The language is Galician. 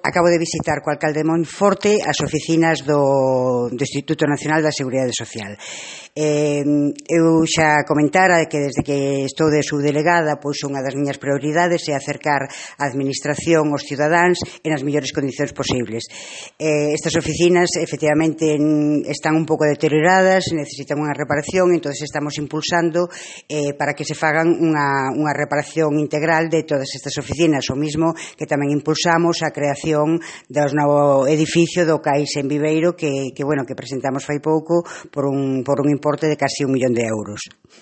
Acabo de visitar co alcalde de Monforte as oficinas do Instituto Nacional da Seguridade Social. Eu xa comentara que desde que estou de subdelegada, pois unha das miñas prioridades é acercar a administración aos cidadáns en as mellores condicións posibles. Estas oficinas efectivamente están un pouco deterioradas, necesitan unha reparación, entón estamos impulsando para que se fagan unha reparación integral de todas estas oficinas, o mismo que tamén impulsamos a creación do novo edificio do CAIS en Viveiro que presentamos fai pouco por un importe de casi 1 millón de euros.